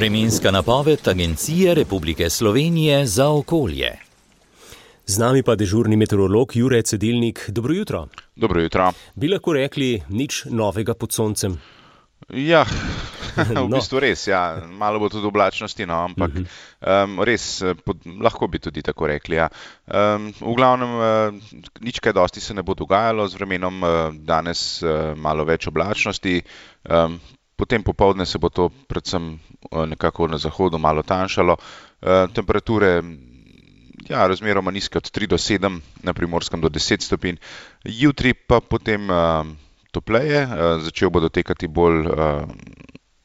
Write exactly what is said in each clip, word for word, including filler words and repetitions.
Vremenska napoved Agencije Republike Slovenije za okolje. Z nami pa dežurni meteorolog Jure Cedilnik. Dobro jutro. Dobro jutro. Bi lahko rekli nič novega pod soncem? Ja, v bistvu res, ja. Malo bo tudi oblačnosti, no, ampak uh -huh. um, res, pod, lahko bi tudi tako rekli. Ja. Um, v glavnem, uh, nič kaj dosti se ne bo dogajalo z vremenom, uh, danes uh, malo več oblačnosti, um, potem popoldne se bo to predvsem uh, nekako na zahodu malo tanjšalo. Uh, temperature, ja, razmeroma nizke od tri do sedem, na Primorskem do deset stopinj, jutri pa potem uh, topleje, začel bo dotekati bolj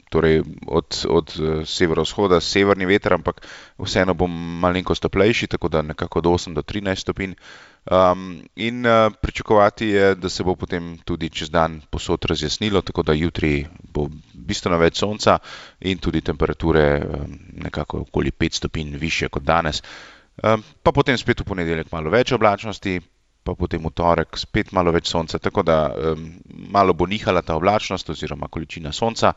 torej od, od severovzhoda severni veter, ampak vseeno bo malenkost toplejši, tako da nekako od osem do trinajst stopinj. Um, in uh, pričakovati je, da se bo potem tudi čez dan povsod razjasnilo, tako da jutri bo bistveno več sonca in tudi temperature um, nekako okoli pet stopinj višje kot danes. Um, pa potem spet v ponedeljek malo več oblačnosti, pa potem v torek spet malo več sonca, tako da um, malo bo nihala ta oblačnost oziroma količina sonca.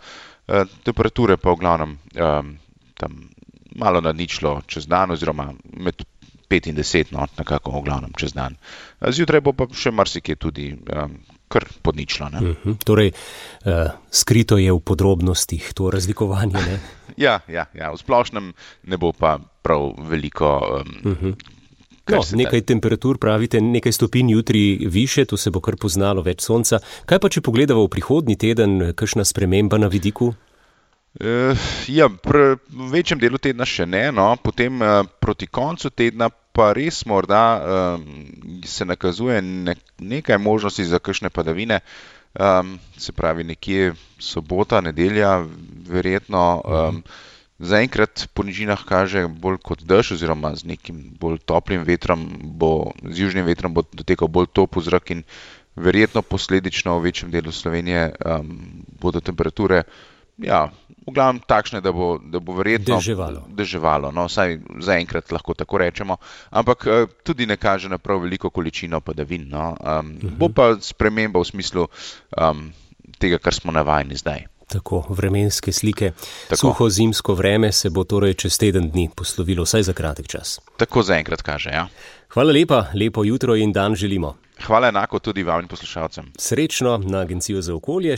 Uh, temperature pa v glavnem um, tam malo nad ničlo čez dan oziroma med pet in deset, no, nekako v glavnem čez dan. Zjutraj bo pa še marsikje tudi um, kar pod ničlo. Ne? Uh-huh. Torej, uh, skrito je v podrobnostih to razlikovanje, ne? ja, ja, ja, v splošnem ne bo pa prav veliko um, uh-huh. No, nekaj temperatur, pravite, nekaj stopinj jutri više, to se bo kar poznalo, več sonca. Kaj pa, če pogledamo v prihodnji teden, kakšna sprememba na vidiku? Uh, ja, pr, v večjem delu tedna še ne, no, potem uh, proti koncu tedna pa res morda uh, se nakazuje ne, nekaj možnosti za kakšne padavine, um, se pravi nekje sobota, nedelja, verjetno. Um, Zaenkrat po nižinah kaže bolj kot dež oziroma z nekim bolj toplim vetrom, bo, z južnim vetrom bo dotekal bolj topel zrak in verjetno posledično v večjem delu Slovenije um, bodo temperature, ja, v glavnem takšne, da bo, da bo verjetno deževalo. deževalo, no, vsaj zaenkrat lahko tako rečemo, ampak uh, tudi ne kaže na prav veliko količino padavin, no, um, uh-huh. bo pa sprememba v smislu um, tega, kar smo navajeni zdaj. Tako, vremenske slike. Tako. Suho zimsko vreme se bo torej čez teden dni poslovilo, vsaj za kratek čas. Tako zaenkrat kaže, ja. Hvala lepa, lepo jutro in dan želimo. Hvala enako tudi vam in poslušalcem. Srečno na Agencijo za okolje.